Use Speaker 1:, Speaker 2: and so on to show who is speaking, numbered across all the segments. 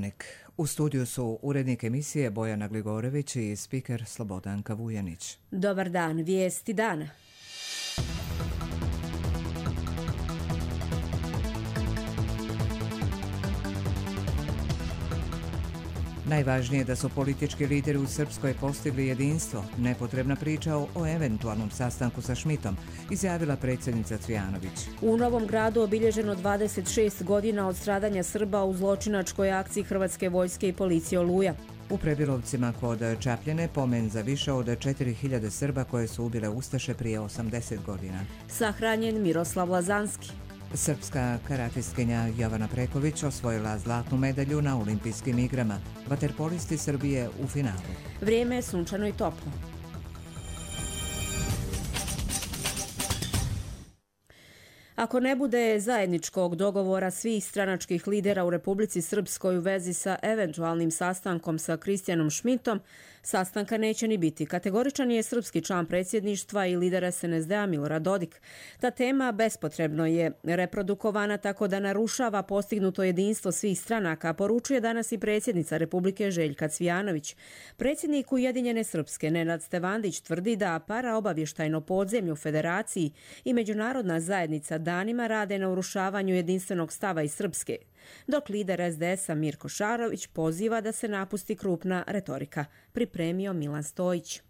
Speaker 1: Dnevnik. U studiju su urednik emisije Bojana Gligorević i spiker Slobodanka Vujanić.
Speaker 2: Dobar dan, vijesti dana.
Speaker 1: Najvažnije je da su politički lideri u Srpskoj postigli jedinstvo. Nepotrebna priča o eventualnom sastanku sa Šmitom, izjavila predsjednica Cvijanović.
Speaker 2: U Novom Gradu obilježeno 26 godina od stradanja Srba u zločinačkoj akciji Hrvatske vojske i policije Oluja.
Speaker 1: U Prebilovcima kod Čapljine pomen za više od 4000 Srba koje su ubile ustaše prije 80 godina.
Speaker 2: Sahranjen Miroslav Lazanski.
Speaker 1: Srpska karatistkinja Jovana Preković osvojila zlatnu medalju na olimpijskim igrama. Vaterpolisti Srbije u finalu.
Speaker 2: Vrijeme je sunčano i toplo. Ako ne bude zajedničkog dogovora svih stranačkih lidera u Republici Srpskoj u vezi sa eventualnim sastankom sa Kristijanom Šmitom, sastanka neće ni biti. Kategoričan je srpski član predsjedništva i lider SNSD-a Milorad Dodik. Ta tema bespotrebno je reprodukovana tako da narušava postignuto jedinstvo svih stranaka, poručuje danas i predsjednica Republike Željka Cvijanović. Predsjednik Ujedinjene Srpske Nenad Stevandić tvrdi da paraobavještajno podzemlje u Federaciji i međunarodna zajednica danima rade na urušavanju jedinstvenog stava iz Srpske, dok lider SDS-a Mirko Šarović poziva da se napusti krupna retorika. Pripremio Milan Stojić.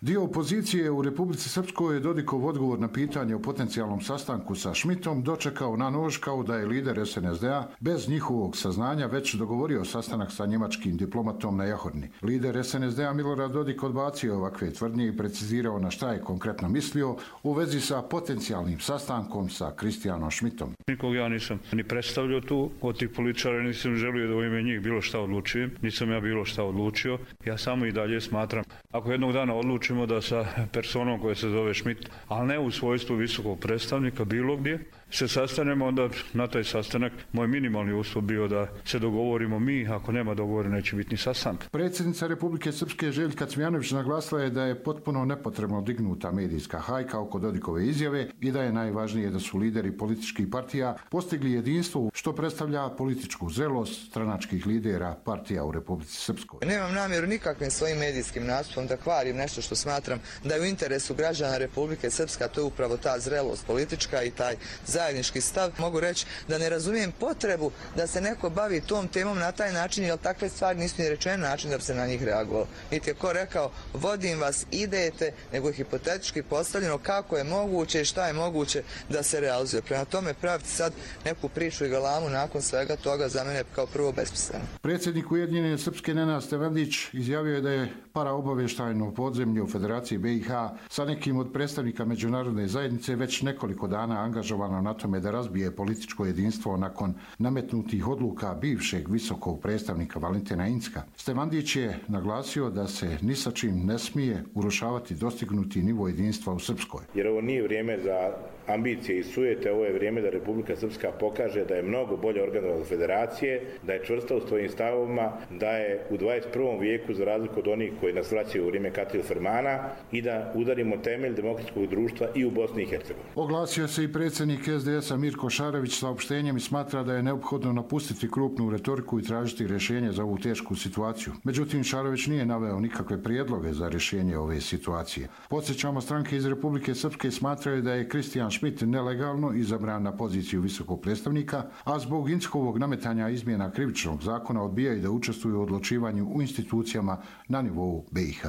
Speaker 3: Dio opozicije u Republici Srpskoj je Dodikov odgovor na pitanje o potencijalnom sastanku sa Šmitom dočekao na nož kao da je lider SNSD-a bez njihovog saznanja već dogovorio sastanak sa njemačkim diplomatom na Jahorni. Lider SNSD-a Milorad Dodik odbacio ovakve tvrdnje i precizirao na šta je konkretno mislio u vezi sa potencijalnim sastankom sa Kristijanom Šmitom.
Speaker 4: Nikog ja nisam ni predstavljao tu, od tih političara nisam želio da u ime njih bilo šta odlučujem, nisam ja bilo šta odlučio. Ja samo i dalje smatram, ako jednog dana odlučimo da sa personom koja se zove Šmit, ali ne u svojstvu visokog predstavnika bilo gdje, se sastanemo, onda na taj sastanak moj minimalni uslov bio da se dogovorimo mi, ako nema dogovora neće biti ni sastanka.
Speaker 3: Predsjednica Republike Srpske Željka Cvijanović naglasila je da je potpuno nepotrebno dignuta medijska hajka oko Dodikove izjave i da je najvažnije da su lideri političkih partija postigli jedinstvo što predstavlja političku zrelost stranačkih lidera partija u Republici Srpskoj.
Speaker 5: Nemam namjeru nikakvim svojim medijskim nastupom da kvarim nešto što smatram da je u interesu građana Republike Srpske, a to je upravo ta zrelost politička i taj zajednički stav. Mogu reći da ne razumijem potrebu da se neko bavi tom temom na taj način, jer takve stvari nisu ni rečene način da bi se na njih reagovalo. Niti je ko rekao vodim vas, idete, nego je hipotetički postavljeno kako je moguće i šta je moguće da se realizuje. Prema tome praviti sad neku priču i galamu nakon svega toga za mene kao prvo besmisleno.
Speaker 3: Predsjednik Ujedinjene Srpske Nenad Stevandić izjavio je da je paraobavještajno podzemlje u Federaciji BiH sa nekim od predstavnika međunarodne zajednice već nekoliko dana angažovano na tome da razbije političko jedinstvo nakon nametnutih odluka bivšeg visokog predstavnika Valentina Incka. Stevandić je naglasio da se ni sa čim ne smije urušavati dostignuti nivo jedinstva u Srpskoj.
Speaker 6: Jer ovo nije vrijeme za ambicije i sujete, ovo je vrijeme da Republika Srpska pokaže da je mnogo bolje organizovana od federacije, da je čvrsta u svojim stavovima, da je u 21. vijeku za razliku od onih koji nas vraćaju u vrijeme Katil Fermana i da udarimo temelj demokratskog društva i u Bosni i Hercegovini.
Speaker 3: Oglasio se i predsjednik SDS-a Mirko Šarović saopštenjem i smatra da je neophodno napustiti krupnu retoriku i tražiti rješenje za ovu tešku situaciju. Međutim, Šarović nije naveo nikakve prijedloge za rješenje ove situacije. Podsjećamo, stranke iz Republike Srpske smatraju da je Kristijan Šmit nelegalno izabran na poziciju visokog predstavnika, a zbog Inckovog nametanja izmjena krivičnog zakona odbijaju da učestvuju u odlučivanju u institucijama na nivou BiH.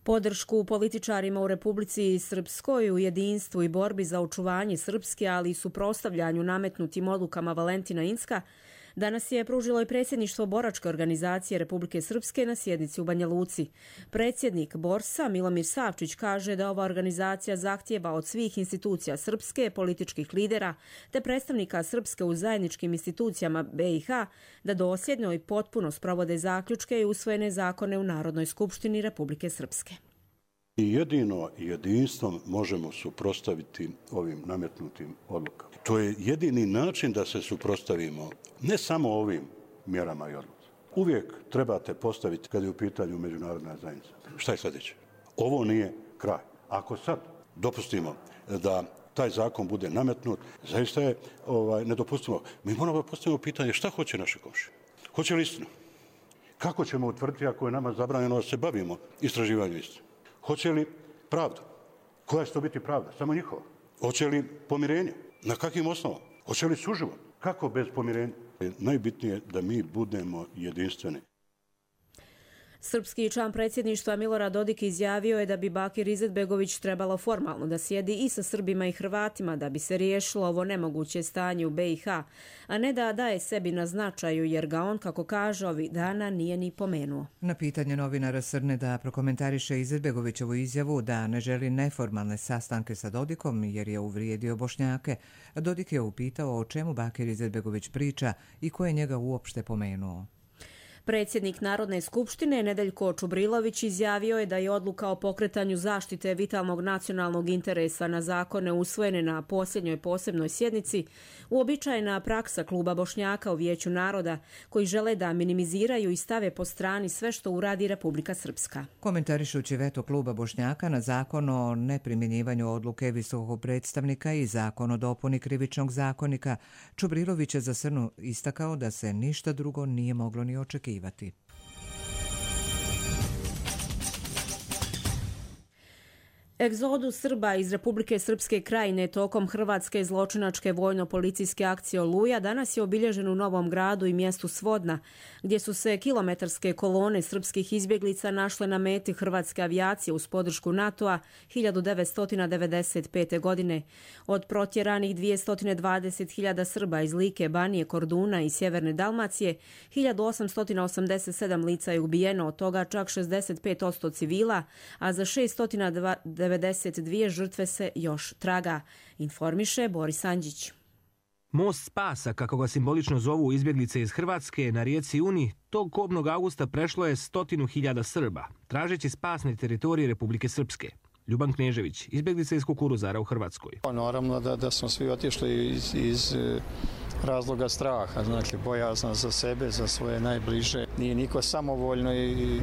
Speaker 2: Podršku političarima u Republici Srpskoj u jedinstvu i borbi za očuvanje Srpske, ali i suprotstavljanju nametnutim odlukama Valentina Incka, danas je pružilo i predsjedništvo boračke organizacije Republike Srpske na sjednici u Banja Luci. Predsjednik Borsa Milomir Savčić kaže da ova organizacija zahtijeva od svih institucija Srpske, političkih lidera te predstavnika Srpske u zajedničkim institucijama BiH da dosljedno i potpuno sprovode zaključke i usvojene zakone u Narodnoj skupštini Republike Srpske.
Speaker 7: I jedino jedinstvom možemo suprotstaviti ovim nametnutim odlukama. To je jedini način da se suprotstavimo ne samo ovim mjerama i odlukama. Uvijek trebate postaviti kad je u pitanju međunarodna zajednica. Šta je sljedeće? Ovo nije kraj. Ako sad dopustimo da taj zakon bude nametnut, zaista je nedopustivo. Mi moramo postaviti pitanje šta hoće naše komšije. Hoće li istinu? Kako ćemo utvrditi ako je nama zabranjeno da se bavimo istraživanjem istine? Hoće li pravda? Koja će to biti pravda? Samo njihova. Hoće li pomirenje? Na kakvim osnovama? Hoće li suživot? Kako bez pomirenja? Najbitnije je da mi budemo jedinstveni.
Speaker 2: Srpski član predsjedništva Milorad Dodik izjavio je da bi Bakir Izetbegović trebalo formalno da sjedi i sa Srbima i Hrvatima da bi se riješilo ovo nemoguće stanje u BiH, a ne da daje sebi na značaju jer ga on, kako kaže, ovih dana nije ni pomenuo.
Speaker 1: Na pitanje novinara Srne da prokomentariše Izetbegovićevu izjavu da ne želi neformalne sastanke sa Dodikom jer je uvrijedio Bošnjake, Dodik je upitao o čemu Bakir Izetbegović priča i ko je njega uopšte pomenuo.
Speaker 2: Predsjednik Narodne skupštine Nedeljko Čubrilović izjavio je da je odluka o pokretanju zaštite vitalnog nacionalnog interesa na zakone usvojene na posljednjoj posebnoj sjednici uobičajena praksa kluba Bošnjaka u Vijeću naroda koji žele da minimiziraju i stave po strani sve što uradi Republika Srpska.
Speaker 1: Komentarišući veto kluba Bošnjaka na zakon o neprimjenjivanju odluke visokog predstavnika i zakon o dopuni krivičnog zakonika, Čubrilović je za Srnu istakao da se ništa drugo nije moglo ni očekivati.
Speaker 2: Egzodus Srba iz Republike Srpske Krajine tokom hrvatske zločinačke vojno-policijske akcije Oluja danas je obilježen u Novom Gradu i mjestu Svodna, gdje su se kilometarske kolone srpskih izbjeglica našle na meti hrvatske avijacije uz podršku NATO-a 1995. godine. Od protjeranih 220.000 Srba iz Like, Banije, Korduna i Sjeverne Dalmacije, 1887 lica je ubijeno, od toga čak 65% civila, a za 692 žrtve se još traga, informiše Boris Andžić.
Speaker 8: Most spasa, kako ga simbolično zovu izbjeglice iz Hrvatske, na rijeci Uni, tog kobnog augusta prešlo je 100.000 Srba, tražeći spas na teritoriji Republike Srpske. Ljuban Knežević, izbjeglica iz Kukuruzara u Hrvatskoj.
Speaker 9: Naravno da smo svi otišli iz razloga straha, znači bojazna za sebe, za svoje najbliže. Nije niko samovoljno i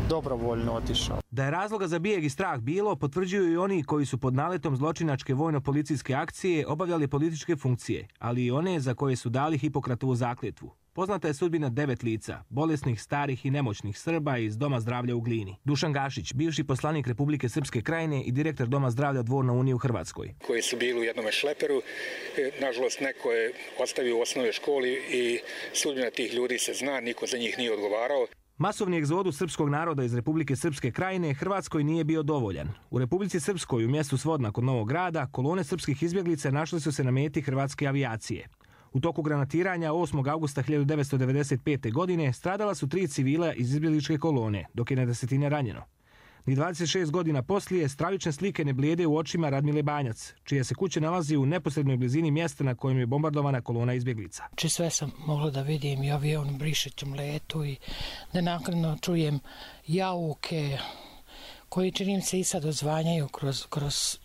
Speaker 9: dobrovoljno otišao.
Speaker 8: Da je razloga za bijeg i strah bilo, potvrđuju i oni koji su pod naletom zločinačke vojno-policijske akcije obavljali političke funkcije, ali i one za koje su dali Hipokratovu zakletvu. Poznata je sudbina 9 lica, bolesnih, starih i nemoćnih Srba iz Doma zdravlja u Glini. Dušan Gašić, bivši poslanik Republike Srpske Krajine i direktor Doma zdravlja Dvor na Uni u Hrvatskoj.
Speaker 10: Koji su bili u jednom šleperu, nažalost neko je ostavio u osnovnoj školi i sudbina tih ljudi se zna, niko za njih nije odgovarao.
Speaker 8: Masovni egzodus srpskog naroda iz Republike Srpske Krajine Hrvatskoj nije bio dovoljan. U Republici Srpskoj u mjestu Svodna kod Novog Grada kolone srpskih izbjeglica našli su se na meti hrvatske avijacije. U toku granatiranja 8. augusta 1995. godine stradala su 3 civila iz izbjegličke kolone, dok je na desetine ranjeno. Ni 26 godina poslije stravične slike ne blijede u očima Radmile Banjac, čija se kuća nalazi u neposrednoj blizini mjesta na kojem je bombardovana kolona izbjeglica.
Speaker 11: Sve sam mogla da vidim i avion brišećem letu i da naknadno čujem jauke koji čini se i sad odzvanjaju kroz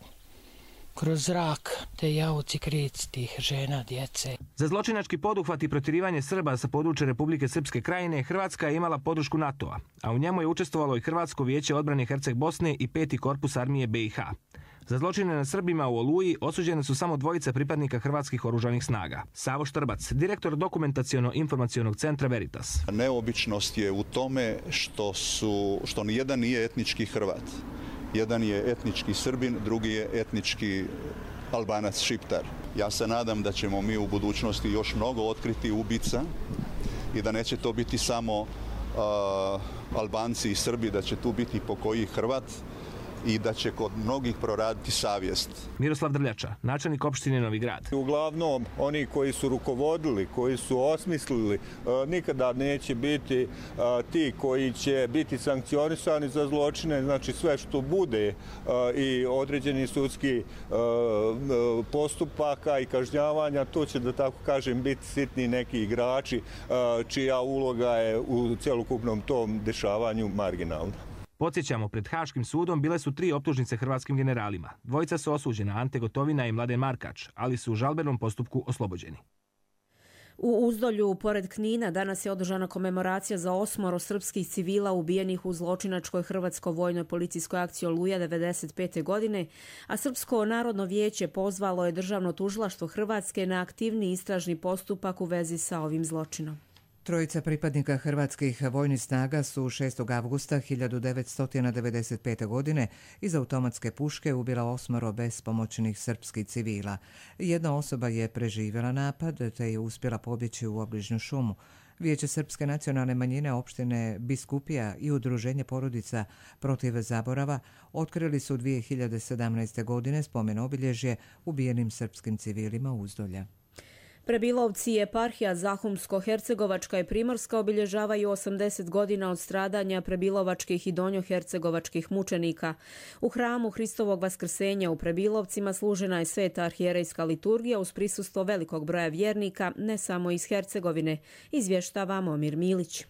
Speaker 11: zrak, te jauci, krici tih žena, djece.
Speaker 8: Za zločinački poduhvat i protjerivanje Srba sa područja Republike Srpske Krajine Hrvatska je imala podršku NATO-a, a u njemu je učestvovalo i Hrvatsko vijeće odbrane Herceg Bosne i 5. korpus armije BiH. Za zločine na Srbima u Oluji osuđene su samo 2 pripadnika hrvatskih oružanih snaga. Savo Štrbac, direktor dokumentaciono-informacionog centra Veritas.
Speaker 12: Neobičnost je u tome što nijedan nije etnički Hrvat. Jedan je etnički Srbin, drugi je etnički Albanac, Šiptar. Ja se nadam da ćemo mi u budućnosti još mnogo otkriti ubica i da neće to biti samo Albanci i Srbi, da će tu biti pokoji Hrvat i da će kod mnogih proraditi savjest.
Speaker 8: Miroslav Drljača, načelnik opštine Novi Grad.
Speaker 13: Uglavnom, oni koji su rukovodili, koji su osmislili, nikada neće biti ti koji će biti sankcionisani za zločine, znači sve što bude i određeni sudski postupaka i kažnjavanja, to će, da tako kažem, biti sitni neki igrači čija uloga je u celokupnom tom dešavanju marginalna.
Speaker 8: Podsjećamo, pred Haškim sudom bile su 3 optužnice hrvatskim generalima. 2 su osuđena, Ante Gotovina i Mladen Markač, ali su u žalbenom postupku oslobođeni.
Speaker 2: U Uzdolju, pored Knina, danas je održana komemoracija za 8 srpskih civila ubijenih u zločinačkoj hrvatsko-vojnoj policijskoj akciji Oluja 1995. godine, a Srpsko narodno vijeće pozvalo je Državno tužilaštvo Hrvatske na aktivni istražni postupak u vezi sa ovim zločinom.
Speaker 1: Trojica pripadnika hrvatskih vojnih snaga su 6. avgusta 1995. godine iz automatske puške ubila 8 bespomoćnih srpskih civila. Jedna osoba je preživjela napad te je uspjela pobjeći u obližnju šumu. Vijeće Srpske nacionalne manjine opštine Biskupija i Udruženje porodica protiv zaborava otkrili su 2017. godine spomen obilježje ubijenim srpskim civilima Uzdolja.
Speaker 2: Prebilovci eparhija Zahumsko-Hercegovačka i Primorska obilježavaju 80 godina od stradanja prebilovačkih i donjohercegovačkih mučenika. U hramu Hristovog vaskrsenja u Prebilovcima služena je sveta arhijerejska liturgija uz prisustvo velikog broja vjernika, ne samo iz Hercegovine, izvještava Momir Milić.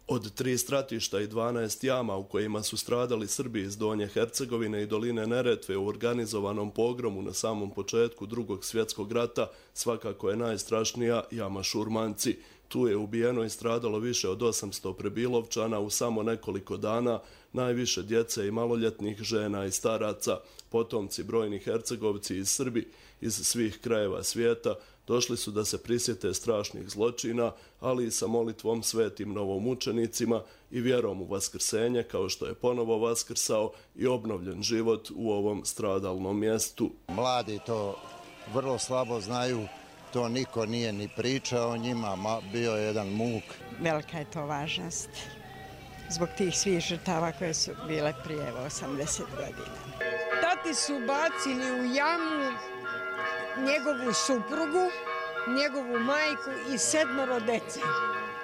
Speaker 14: Od 3 stratišta i 12 jama u kojima su stradali Srbi iz Donje Hercegovine i doline Neretve u organizovanom pogromu na samom početku Drugog svjetskog rata, svakako je najstrašnija jama Šurmanci. Tu je ubijeno i stradalo više od 800 prebilovčana u samo nekoliko dana, najviše djece i maloljetnih, žena i staraca. Potomci brojni Hercegovci iz Srbi iz svih krajeva svijeta došli su da se prisjete strašnih zločina, ali i sa molitvom svetim novomučenicima i vjerom u vaskrsenje, kao što je ponovo vaskrsao i obnovljen život u ovom stradalnom mjestu.
Speaker 15: Mladi to vrlo slabo znaju, to niko nije ni pričao o njima, bio je jedan muk.
Speaker 16: Velika je to važnost zbog tih svih žrtava koje su bile prije 80 godina.
Speaker 17: Tati su bacili u jamu njegovu suprugu, njegovu majku i 7 dece.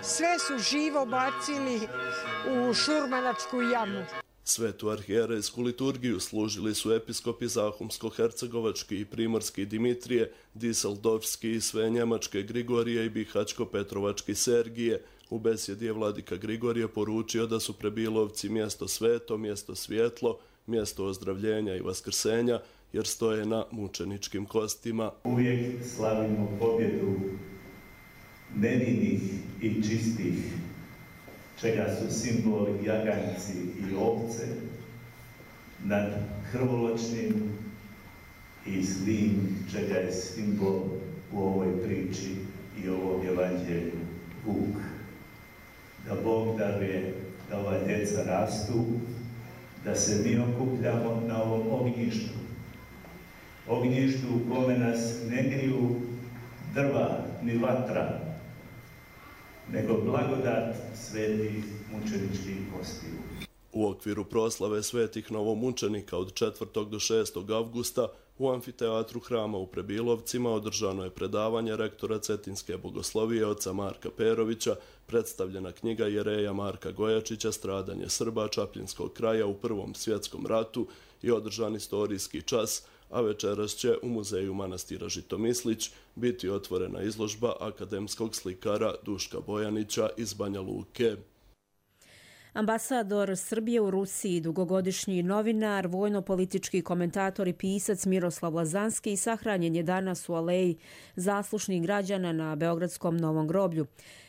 Speaker 17: Sve su živo bacili u šurmanačku jamu.
Speaker 14: Svetu arhijerejsku liturgiju služili su episkopi Zahumsko-Hercegovački i Primorski Dimitrije, Diseldorfski i sve Njemačke Grigorije i Bihaćko-Petrovački Sergije. U besjedi je vladika Grigorije poručio da su Prebilovci mjesto sveto, mjesto svjetlo, mjesto ozdravljenja i vaskrsenja, jer stoje na mučeničkim kostima.
Speaker 18: Uvijek slavimo pobjedu nevinih i čistih, čega su simbol jaganjci i ovce, nad krvoločnim i zlim, čega je simbol u ovoj priči i ovom evanđelju vuk. Da Bog daruje da ova djeca rastu, da se mi okupljamo na ovom ognjištu. Ognjištu u kome nas ne griju drva ni vatra, nego blagodat svetih mučeničkih kostiju.
Speaker 14: U okviru proslave svetih novomučenika od 4. do 6. avgusta u amfiteatru hrama u Prebilovcima održano je predavanje rektora Cetinske bogoslovije oca Marka Perovića, predstavljena knjiga jereja Marka Gojačića Stradanje Srba Čapljinskog kraja u Prvom svjetskom ratu i održan istorijski čas, a večeras će u muzeju manastira Žitomislić biti otvorena izložba akademskog slikara Duška Bojanića iz Banja Luke.
Speaker 2: Ambasador Srbije u Rusiji, dugogodišnji novinar, vojno-politički komentator i pisac Miroslav Lazanski sahranjen je danas u aleji zaslušnih građana na Beogradskom Novom groblju.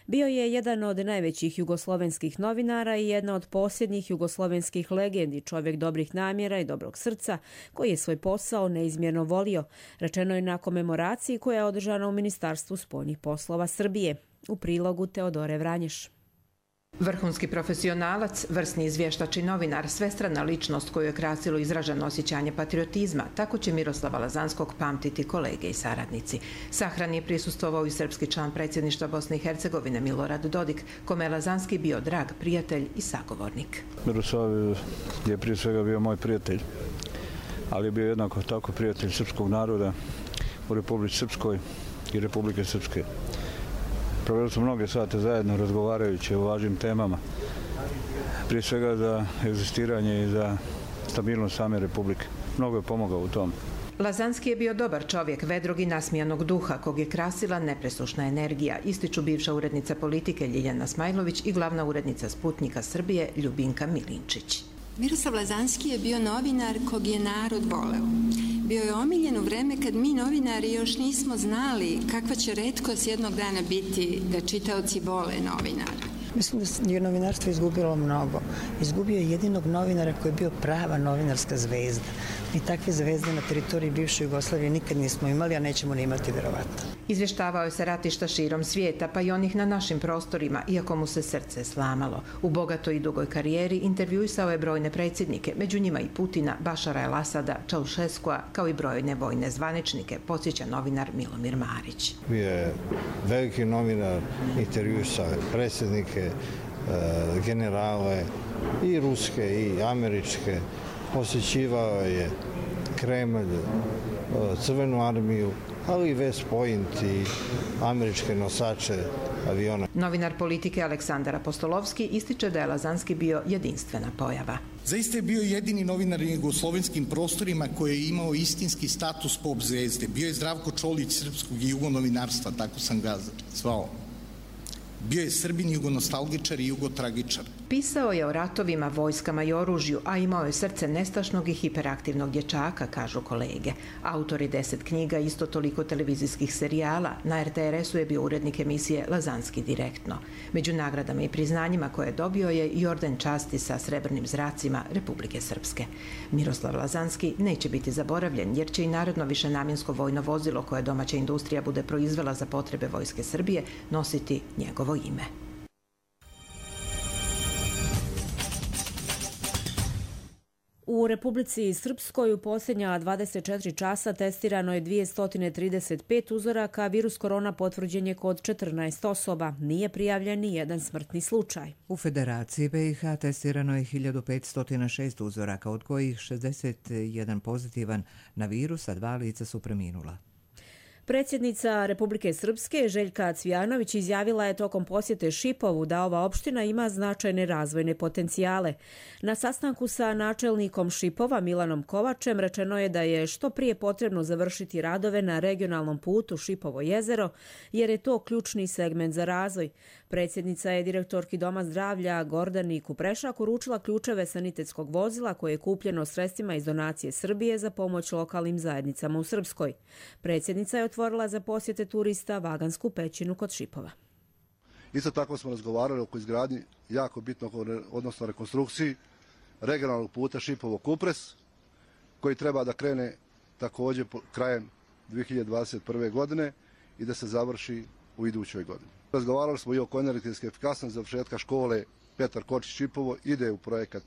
Speaker 2: Bio je jedan od najvećih jugoslovenskih novinara i jedna od posljednjih jugoslovenskih legendi, čovjek dobrih namjera i dobrog srca, koji je svoj posao neizmjerno volio, rečeno je na komemoraciji koja je održana u Ministarstvu spoljnih poslova Srbije. U prilogu Teodore Vranješ.
Speaker 19: Vrhunski profesionalac, vrsni izvještač i novinar, svestrana ličnost koju je krasilo izraženo osjećanje patriotizma, tako će Miroslava Lazanskog pamtiti kolege i saradnici. Sahrani je prisustvovao i srpski član predsjedništva Bosne i Hercegovine Milorad Dodik, kome je Lazanski bio drag prijatelj i sagovornik.
Speaker 20: Miroslav je prije svega bio moj prijatelj, ali je bio jednako tako prijatelj srpskog naroda u Republici Srpskoj i Republike Srpske. Proveli su mnoge sate zajedno razgovarajući o važnim temama, prije svega za egzistiranje i za stabilnost same Republike. Mnogo je pomogao u tom.
Speaker 19: Lazanski je bio dobar čovjek, vedrog i nasmijanog duha, kog je krasila nepresušna energija, ističu bivša urednica politike Ljiljana Smajlović i glavna urednica Sputnika Srbije Ljubinka Milinčić.
Speaker 21: Miroslav Lazanski je bio novinar kog je narod voleo. Bio je omiljen u vreme kad mi novinari još nismo znali kakva će retkost jednog dana biti da čitaoci vole novinara.
Speaker 22: Mislim da je novinarstvo izgubilo mnogo. Izgubio je jedinog novinara koji je bio prava novinarska zvezda.
Speaker 4: I takve zvezde na teritoriji bivše Jugoslavije nikad nismo imali, a nećemo ni imati verovatno.
Speaker 19: Izvještavao se ratišta širom svijeta, pa i onih na našim prostorima, iako mu se srce slamalo. U bogatoj i dugoj karijeri intervjuisao je brojne predsjednike, među njima i Putina, Bašara el-Asada, Čaušeskua, kao i brojne vojne zvaničnike, podsjeća novinar Milomir Marić.
Speaker 22: Bio je veliki novinar, intervjuisao predsjednike, generale, i ruske i američke, posjećivao je Kremlj, Crvenu armiju, ali i West Point i američke nosače aviona.
Speaker 19: Novinar politike Aleksandar Apostolovski ističe da je Lazanski bio jedinstvena pojava.
Speaker 23: Zaista je bio jedini novinar na jugoslovenskim prostorima koji je imao istinski status pop zvezde. Bio je Zdravko Čolić srpskog i jugonovinarstva, tako sam ga zvao. Bio je Srbin, jugonostalgičar i jugotragičar.
Speaker 19: Pisao je o ratovima, vojskama i oružju, a imao je srce nestašnog i hiperaktivnog dječaka, kažu kolege. Autor je 10 knjiga, isto toliko televizijskih serijala. Na RTRS-u je bio urednik emisije Lazanski direktno. Među nagradama i priznanjima koje je dobio je i orden časti sa srebrnim zracima Republike Srpske. Miroslav Lazanski neće biti zaboravljen, jer će i narodno višenamjensko vojno vozilo koje domaća industrija bude proizvela za potrebe Vojske Srbije nositi njegovo ime.
Speaker 2: U Republici Srpskoj u posljednja 24 časa testirano je 235 uzoraka, virus korona potvrđen je kod 14 osoba. Nije prijavljen ni jedan smrtni slučaj.
Speaker 1: U Federaciji BiH testirano je 1506 uzoraka, od kojih 61 pozitivan na virus, a 2 lica su preminula.
Speaker 2: Predsjednica Republike Srpske Željka Cvijanović izjavila je tokom posjete Šipovu da ova opština ima značajne razvojne potencijale. Na sastanku sa načelnikom Šipova Milanom Kovačem rečeno je da je što prije potrebno završiti radove na regionalnom putu Šipovo jezero, jer je to ključni segment za razvoj. Predsjednica je direktorki Doma zdravlja Gordani Kuprešak uručila ključeve sanitetskog vozila koje je kupljeno sredstvima iz donacije Srbije za pomoć lokalnim zajednicama u Srpskoj. Predsjednica je otvorila za posjete turista Vagansku pećinu kod Šipova.
Speaker 24: Isto tako smo razgovarali oko izgradnji jako bitnog, odnosno rekonstrukciji regionalnog puta Šipovo-Kupres, koji treba da krene također krajem 2021. godine i da se završi u idućoj godini. Razgovarali smo i oko energetske efikasnosti, završetka škole Petar Kočić Šipovo ide u projekat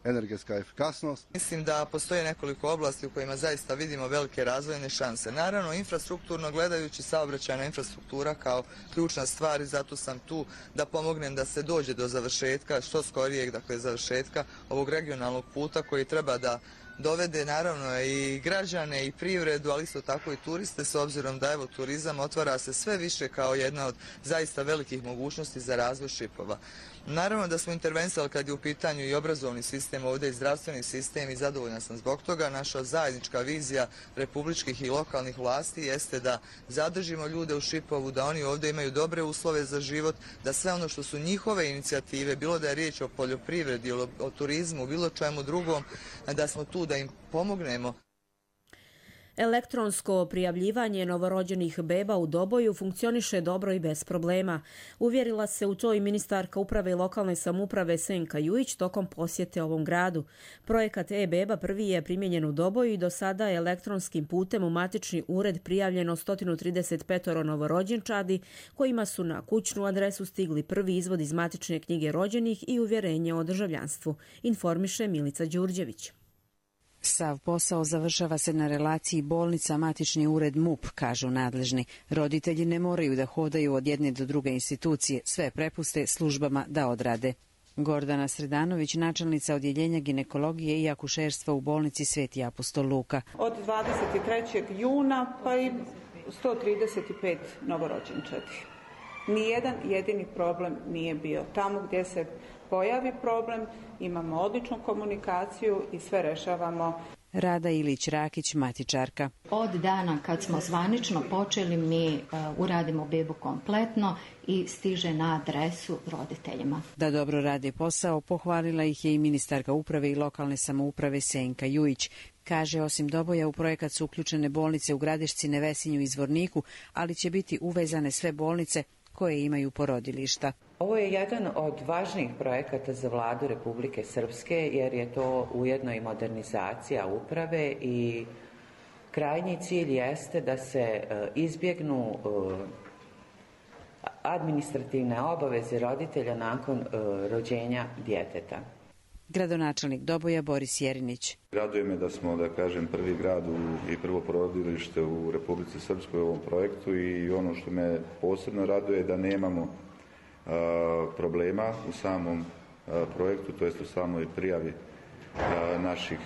Speaker 24: energetska efikasnost.
Speaker 5: Mislim da postoje nekoliko oblasti u kojima zaista vidimo velike razvojne šanse. Naravno, infrastrukturno gledajući, saobraćajna infrastruktura kao ključna stvar i zato sam tu da pomognem da se dođe do završetka, što skorijeg, dakle završetka ovog regionalnog puta koji treba da dovede naravno i građane i privredu, ali isto tako i turiste, s obzirom da evo turizam otvara se sve više kao jedna od zaista velikih mogućnosti za razvoj Šipova. Naravno da smo intervenisali kad je u pitanju i obrazovni sistem, ovdje i zdravstveni sistem i zadovoljna sam zbog toga. Naša zajednička vizija republičkih i lokalnih vlasti jeste da zadržimo ljude u Šipovu, da oni ovdje imaju dobre uslove za život, da sve ono što su njihove inicijative, bilo da je riječ o poljoprivredi, o turizmu, bilo čemu drugom, da smo tu da im pomognemo.
Speaker 2: Elektronsko prijavljivanje novorođenih beba u Doboju funkcioniše dobro i bez problema. Uvjerila se u to i ministarka uprave i lokalne samouprave Senka Jujić tokom posjete ovom gradu. Projekat e-beba prvi je primijenjen u Doboju i do sada je elektronskim putem u matični ured prijavljeno 135 novorođenčadi kojima su na kućnu adresu stigli prvi izvod iz matične knjige rođenih i uvjerenje o državljanstvu, informiše Milica Đurđević.
Speaker 25: Sav posao završava se na relaciji bolnica matični ured MUP, kažu nadležni. Roditelji ne moraju da hodaju od jedne do druge institucije, sve prepuste službama da odrade. Gordana Sredanović, načelnica odjeljenja ginekologije i akušerstva u bolnici Sveti apostol Luka.
Speaker 26: Od 23. juna pa i 135 novorođenčadi. Nijedan jedini problem nije bio. Tamo gdje se pojavi problem, imamo odličnu komunikaciju i sve rešavamo.
Speaker 25: Rada Ilić-Rakić, matičarka.
Speaker 27: Od dana kad smo zvanično počeli, mi uradimo bebu kompletno i stiže na adresu roditeljima.
Speaker 25: Da dobro rade posao, pohvalila ih je i ministarka uprave i lokalne samouprave Senka Jujić. Kaže, osim Doboja u projekat su uključene bolnice u Gradišci, Nevesinju i Zvorniku, ali će biti uvezane sve bolnice koje imaju porodilišta.
Speaker 3: Ovo je jedan od važnijih projekata za vladu Republike Srpske jer je to ujedno i modernizacija uprave i krajnji cilj jeste da se izbjegnu administrativne obaveze roditelja nakon rođenja djeteta.
Speaker 25: Gradonačelnik Doboja Boris Jerinić.
Speaker 6: Raduje me da smo, da kažem, prvi grad i prvo porodilište u Republici Srpskoj u ovom projektu i ono što me posebno raduje da nemamo problema u samom projektu, to jest u samoj prijavi naših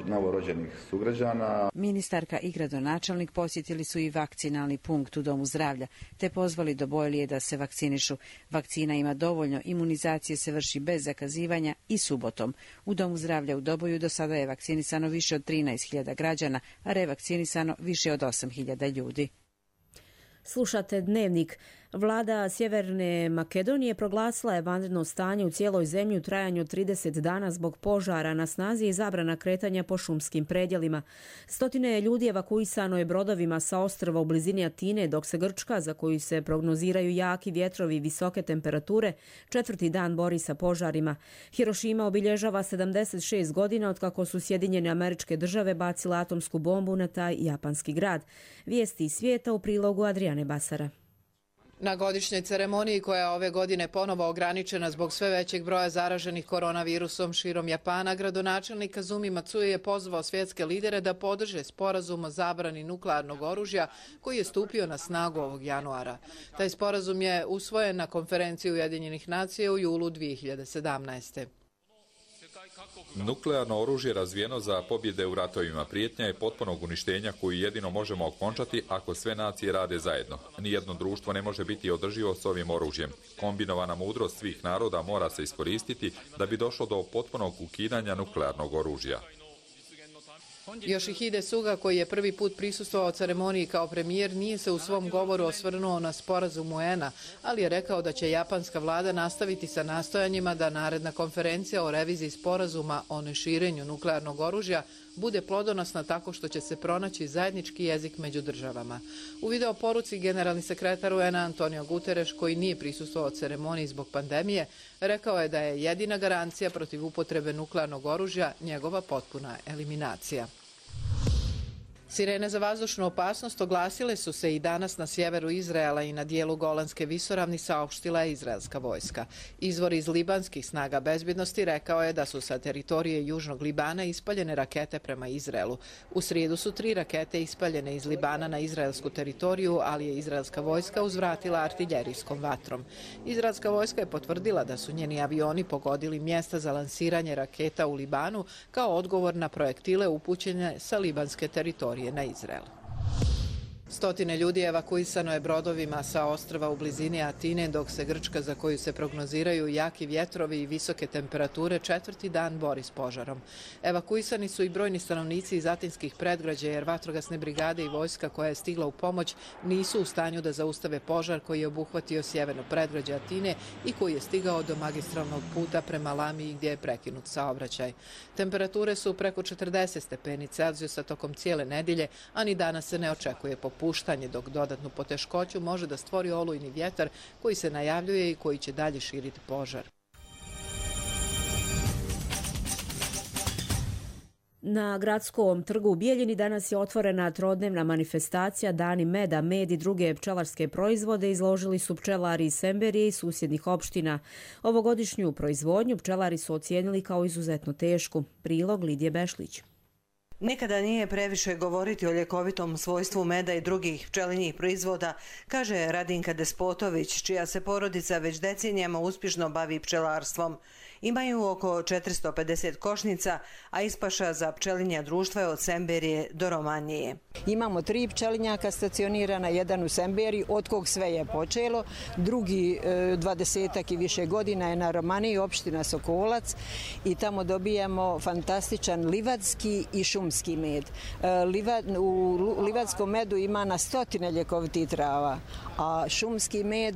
Speaker 6: novorođenih sugrađana.
Speaker 25: Ministarka i gradonačelnik posjetili su i vakcinalni punkt u Domu zdravlja, te pozvali Dobojlije da se vakcinišu. Vakcina ima dovoljno, imunizacije se vrši bez zakazivanja i subotom. U Domu zdravlja u Doboju do sada je vakcinisano više od 13.000 građana, a revakcinisano više od 8.000 ljudi.
Speaker 2: Slušate Dnevnik. Vlada Sjeverne Makedonije proglasila je vanredno stanje u cijeloj zemlji u trajanju od 30 dana zbog požara. Na snazi i zabrana kretanja po šumskim predjelima. Stotine ljudi evakuisano je brodovima sa ostrva u blizini Atine, dok se Grčka, za koju se prognoziraju jaki vjetrovi i visoke temperature, 4. dan bori sa požarima. Hirošima obilježava 76 godina otkako su Sjedinjene Američke Države bacile atomsku bombu na taj japanski grad. Vijesti iz svijeta u prilogu Adriane Basara.
Speaker 7: Na godišnjoj ceremoniji koja je ove godine ponovo ograničena zbog sve većeg broja zaraženih koronavirusom širom Japana, gradonačelnik Kazumi Matsui je pozvao svjetske lidere da podrže sporazum o zabrani nuklearnog oružja koji je stupio na snagu ovog januara. Taj sporazum je usvojen na konferenciji Ujedinjenih nacija u julu 2017.
Speaker 9: Nuklearno oružje razvijeno za pobjede u ratovima prijetnja je potpunog uništenja koju jedino možemo okončati ako sve nacije rade zajedno. Nijedno društvo ne može biti održivo s ovim oružjem. Kombinovana mudrost svih naroda mora se iskoristiti da bi došlo do potpunog ukidanja nuklearnog oružja.
Speaker 7: Yoshihide Suga, koji je prvi put prisustvovao ceremoniji kao premijer, nije se u svom govoru osvrnuo na sporazum UN-a, ali je rekao da će japanska vlada nastaviti sa nastojanjima da naredna konferencija o reviziji sporazuma o neširenju nuklearnog oružja bude plodonosna tako što će se pronaći zajednički jezik među državama. U video poruci generalni sekretar UN-a Antonio Guterres, koji nije prisustvovao ceremoniji zbog pandemije, rekao je da je jedina garancija protiv upotrebe nuklearnog oružja njegova potpuna eliminacija. Sirene za vazdušnu opasnost oglasile su se i danas na sjeveru Izraela i na dijelu Golanske visoravni, saopštila je izraelska vojska. Izvor iz libanskih snaga bezbjednosti rekao je da su sa teritorije Južnog Libana ispaljene rakete prema Izraelu. U srijedu su 3 rakete ispaljene iz Libana na izraelsku teritoriju, ali je izraelska vojska uzvratila artiljerijskom vatrom. Izraelska vojska je potvrdila da su njeni avioni pogodili mjesta za lansiranje raketa u Libanu kao odgovor na projektile upućene sa libanske teritorije na Izrael. Stotine ljudi evakuisano je brodovima sa ostrva u blizini Atine, dok se Grčka, za koju se prognoziraju jaki vjetrovi i visoke temperature, 4. dan bori s požarom. Evakuisani su i brojni stanovnici iz atinskih predgrađa, jer vatrogasne brigade i vojska koja je stigla u pomoć nisu u stanju da zaustave požar koji je obuhvatio sjeverno predgrađe Atine i koji je stigao do magistralnog puta prema Lamiji gdje je prekinut saobraćaj. Temperature su preko 40 stepeni Celzijusa tokom cijele nedjelje, a ni danas se ne očekuje popuštanje, dok dodatnu poteškoću može da stvori olujni vjetar koji se najavljuje i koji će dalje širiti požar.
Speaker 2: Na gradskom trgu u Bijeljini danas je otvorena trodnevna manifestacija Dani meda. Med i druge pčelarske proizvode izložili su pčelari iz Semberije i susjednih opština. Ovogodišnju proizvodnju pčelari su ocijenili kao izuzetno tešku. Prilog Lidije Bešlić.
Speaker 10: Nikada nije previše govoriti o ljekovitom svojstvu meda i drugih pčelinjih proizvoda, kaže Radinka Despotović, čija se porodica već decenijama uspješno bavi pčelarstvom. Imaju oko 450 košnica, a ispaša za pčelinja društva je od Semberije do Romanije.
Speaker 11: Imamo 3 pčelinjaka stacionirana, jedan u Semberiji, od kog sve je počelo, drugi 20 i više godina je na Romaniji, opština Sokolac, i tamo dobijamo fantastičan livadski i šumski med. U livadskom medu ima na stotine ljekovitih trava, a šumski med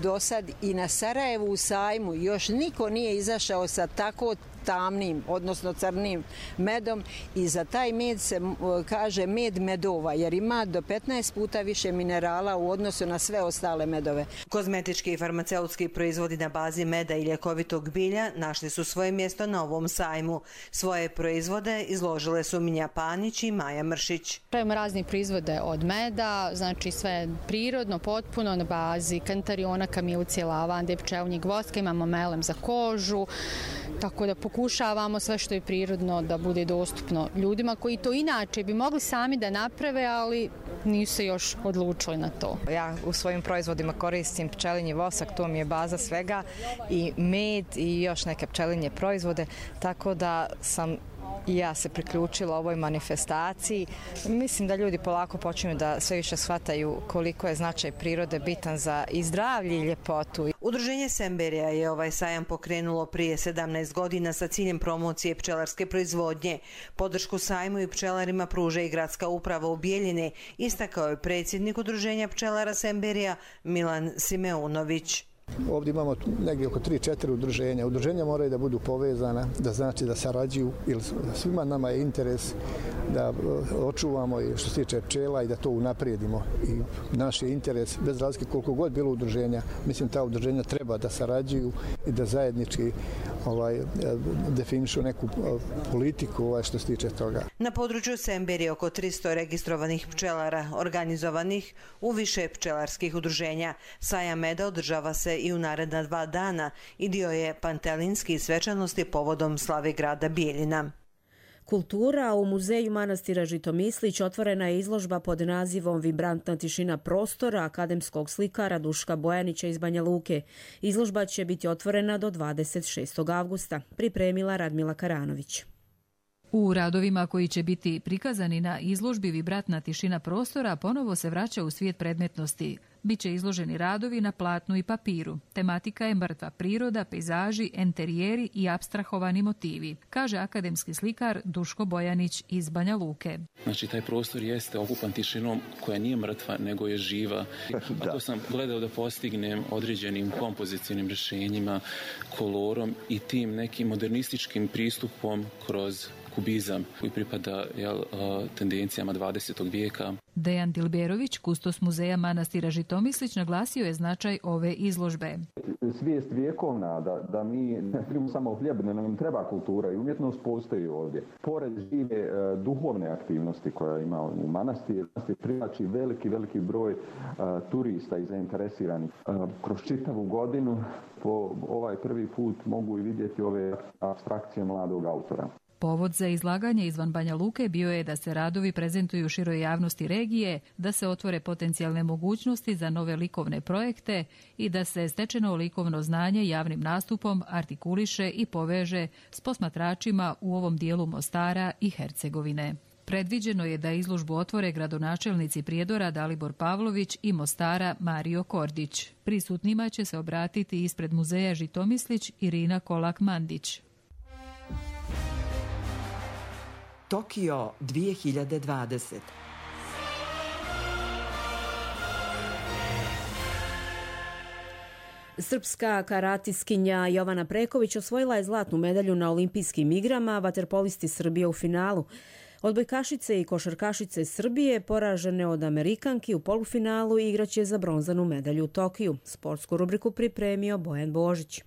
Speaker 11: do sad i na Sarajevu u sajmu još niko nije izašao sa tako tamnim, odnosno crnim medom i za taj med se kaže med medova jer ima do 15 puta više minerala u odnosu na sve ostale medove.
Speaker 10: Kozmetički i farmaceutski proizvodi na bazi meda i ljekovitog bilja našli su svoje mjesto na ovom sajmu. Svoje proizvode izložile su Minja Panić i Maja Mršić.
Speaker 8: Pravimo razni proizvode od meda, znači sve prirodno, potpuno na bazi kantariona, kamilice, lavande, pčelinjeg voska, imamo melem za kožu, tako da pokušavamo sve što je prirodno da bude dostupno ljudima koji to inače bi mogli sami da naprave, ali nisu se još odlučili na to.
Speaker 12: Ja u svojim proizvodima koristim pčelinji vosak, to mi je baza svega, i med i još neke pčelinje proizvode, tako da sam i ja se priključila ovoj manifestaciji. Mislim da ljudi polako počinju da sve više shvataju koliko je značaj prirode bitan za i zdravlje i ljepotu.
Speaker 10: Udruženje Semberija je ovaj sajam pokrenulo prije 17 godina sa ciljem promocije pčelarske proizvodnje. Podršku sajmu i pčelarima pruža i gradska uprava u Bijeljini, istakao je predsjednik Udruženja pčelara Semberija Milan Simeunović.
Speaker 13: Ovdje imamo negdje oko 3-4 udruženja. Udruženja moraju da budu povezana, da znači da sarađuju, jer svima nama je interes da očuvamo i što se tiče pčela i da to unaprijedimo. I naš je interes, bez razlike koliko god bilo udruženja, mislim ta udruženja treba da sarađuju i da zajednički definišu neku politiku što se tiče toga.
Speaker 10: Na području Semberije oko 300 registrovanih pčelara, organizovanih u više pčelarskih udruženja. Sajam meda održava se i u naredna 2 dana i dio je pantelinski svečanosti povodom slave grada Bijeljina.
Speaker 2: Kultura. U muzeju manastira Žitomislić otvorena je izložba pod nazivom Vibrantna tišina prostora akademskog slikara Duška Bojanića iz Banja Luke. Izložba će biti otvorena do 26. avgusta, pripremila Radmila Karanović.
Speaker 15: U radovima koji će biti prikazani na izložbi Vibrantna tišina prostora ponovo se vraća u svijet predmetnosti. Biće izloženi radovi na platnu i papiru. Tematika je mrtva priroda, pejzaži, enterijeri i apstrahovani motivi, kaže akademski slikar Duško Bojanić iz Banja Luke.
Speaker 16: Znači, taj prostor jeste okupan tišinom koja nije mrtva, nego je živa. A to sam gledao da postignem određenim kompozicijnim rješenjima, kolorom i tim nekim modernističkim pristupom kroz kubizam koji pripada tendencijama 20. vijeka.
Speaker 15: Dejan Dilberović, kustos muzeja manastira Žitomislić, naglasio je značaj ove izložbe.
Speaker 17: Svijest vjekovna da mi ne živimo samo u hljeb, nego nam treba kultura i umjetnost postoji ovdje. Pored žive duhovne aktivnosti koja ima u manastir privlači veliki broj turista i zainteresiranih. Kroz čitavu godinu po ovaj prvi put mogu i vidjeti ove apstrakcije mladog autora.
Speaker 15: Povod za izlaganje izvan Banja Luke bio je da se radovi prezentuju široj javnosti regije, da se otvore potencijalne mogućnosti za nove likovne projekte i da se stečeno likovno znanje javnim nastupom artikuliše i poveže s posmatračima u ovom dijelu Mostara i Hercegovine. Predviđeno je da izložbu otvore gradonačelnici Prijedora Dalibor Pavlović i Mostara Mario Kordić. Prisutnima će se obratiti ispred muzeja Žitomislić Irina Kolak-Mandić.
Speaker 18: Tokio 2020.
Speaker 2: Srpska karatiskinja Jovana Preković osvojila je zlatnu medalju na olimpijskim igrama, vaterpolisti Srbije u finalu. Odbojkašice i košarkašice Srbije poražene od Amerikanki u polufinalu igraće za bronzanu medalju u Tokiju. Sportsku rubriku pripremio Bojan Božić.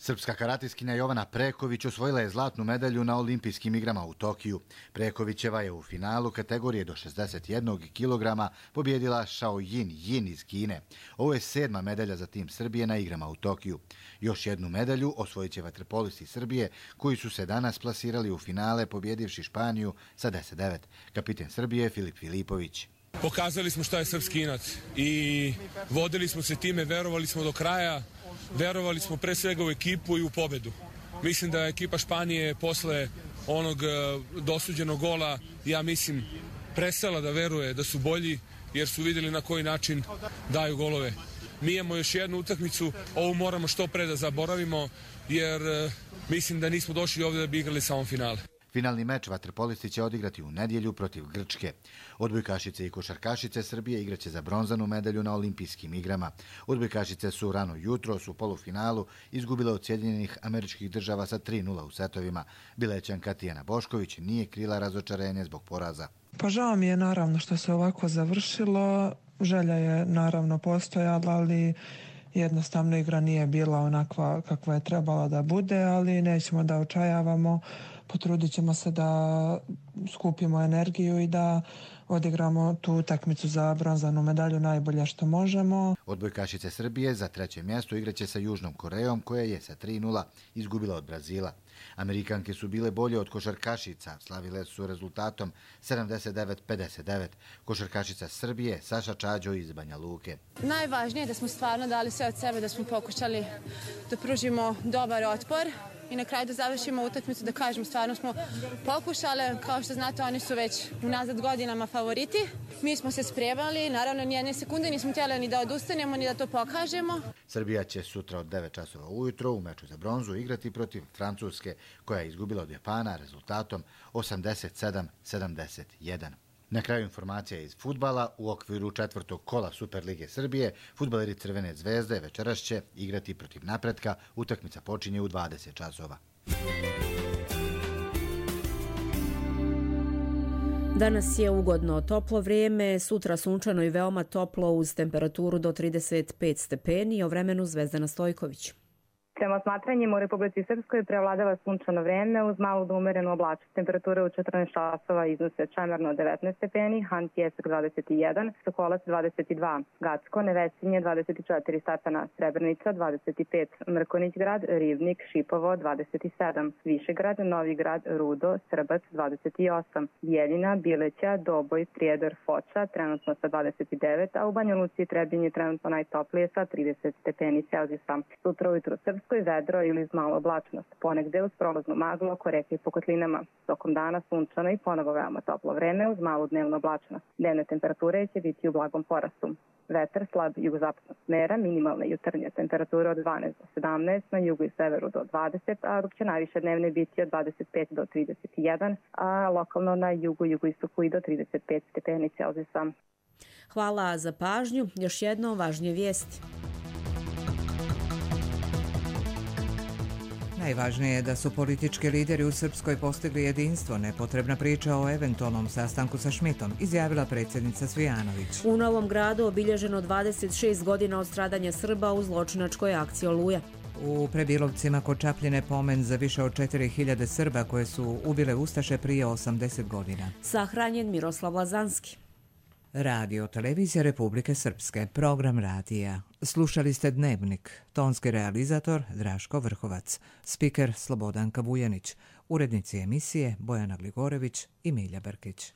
Speaker 28: Srpska karatiskinja Jovana Preković osvojila je zlatnu medalju na olimpijskim igrama u Tokiju. Prekovićeva je u finalu kategorije do 61 kg pobjedila Shao Yin iz Kine. Ovo je 7. medalja za tim Srbije na igrama u Tokiju. Još jednu medalju osvojit će vaterpolisti Srbije koji su se danas plasirali u finale pobjedivši Španiju sa 10-9. Kapiten Srbije Filip Filipović.
Speaker 29: Pokazali smo šta je srpski inat i vodili smo se time, verovali smo do kraja. Verovali smo pre svega u ekipu i u pobedu. Mislim da je ekipa Španije posle onog dosuđenog gola, ja mislim, prestala da veruje da su bolji jer su vidjeli na koji način daju golove. Mi imamo još jednu utakmicu, ovu moramo što pre da zaboravimo jer mislim da nismo došli ovdje da bi igrali samo finale.
Speaker 28: Finalni meč vaterpolisti će odigrati u nedjelju protiv Grčke. Odbojkašice i košarkašice Srbije igraće za bronzanu medalju na olimpijskim igrama. Odbojkašice su rano jutros u polufinalu izgubile od Sjedinjenih Američkih Država sa 3:0 u setovima. Bilećanka Tijana Bošković nije krila razočarenje zbog poraza.
Speaker 1: Pa žao mi je naravno što se ovako završilo. Želja je naravno postojala, ali jednostavno igra nije bila onakva kakva je trebala da bude, ali nećemo da očajavamo. Potrudit ćemo se da skupimo energiju i da odigramo tu utakmicu za bronzanu medalju najbolje što možemo.
Speaker 28: Odbojkašice Srbije za 3. mjesto igraće sa Južnom Korejom, koja je sa 3:0 izgubila od Brazila. Amerikanke su bile bolje od košarkašica, slavile su rezultatom 79-59. Košarkašica Srbije Saša Čađo iz Banja Luke.
Speaker 4: Najvažnije je da smo stvarno dali sve od sebe, da smo pokušali da pružimo dobar otpor i na kraju da završimo utakmicu, da kažemo stvarno smo pokušali. Kao što znate, oni su već unazad godinama favoriti. Mi smo se spremali, naravno ni jedne sekunde nismo htjeli ni da odustanemo, ni da to pokažemo.
Speaker 28: Srbija će sutra od 9 časova ujutro u meču za bronzu igrati protiv Francuske, koja je izgubila od Japana rezultatom 87-71. Na kraju informacija iz fudbala. U okviru 4. kola Superlige Srbije fudbaleri Crvene zvezde večeras će igrati protiv Napretka. Utakmica počinje u 20 časova.
Speaker 2: Danas je ugodno toplo vrijeme, sutra sunčano i veoma toplo uz temperaturu do 35 stepeni. O vremenu Zvezdana Stojković.
Speaker 14: Prema osmatranjima u Republici Srpskoj prevladava sunčano vreme uz malu do umerenu oblačnost. Temperature u 14 časova iznose Čemerno 19 stepeni, Han Pjesak 21, Sokolac 22, Gacko, Nevesinje 24 stepena, Srebrenica 25, Mrkonić grad, Rivnik, Šipovo 27, Višegrad, Novi grad, Rudo, Srbac 28, Bijeljina, Bileća, Doboj, Prijedor, Foča trenutno sa 29, a u Banja Luci i Trebinje trenutno najtoplije sa 30 stepeni Celzijusa. Sutra ujutru Srpskoj vedro ili uz malo oblačnost. Ponegde uz prolaznu maglu oko reke i po kotlinama. Tokom dana sunčano i ponovo veoma toplo vreme uz malu dnevnu oblačnost. Dnevne temperature će biti u blagom porastu. Vetar slab jugozapadnog smera, minimalne jutarnje temperature od 12 do 17, na jugu i severu do 20, a dok će najviše dnevne biti od 25 do 31, a lokalno na jugu, jugoistoku i do 35 stepeni Celzijusa.
Speaker 2: Hvala za pažnju. Još jednom važnije vijesti.
Speaker 19: Najvažnije je da su politički lideri u Srpskoj postigli jedinstvo, nepotrebna priča o eventualnom sastanku sa Šmitom, izjavila predsjednica Cvijanović.
Speaker 2: U Novom Gradu obilježeno 26 godina od stradanja Srba u zločinačkoj akciji Oluja.
Speaker 19: U Prebilovcima kod Čapljine pomen za više od 4000 Srba koje su ubile Ustaše prije 80 godina.
Speaker 2: Sahranjen Miroslav Lazanski.
Speaker 19: Radio Televizija Republike Srpske, program radija. Slušali ste Dnevnik, tonski realizator Draško Vrhovac, spiker Slobodanka Vujanić, urednici emisije Bojana Gligorević i Milja Brkić.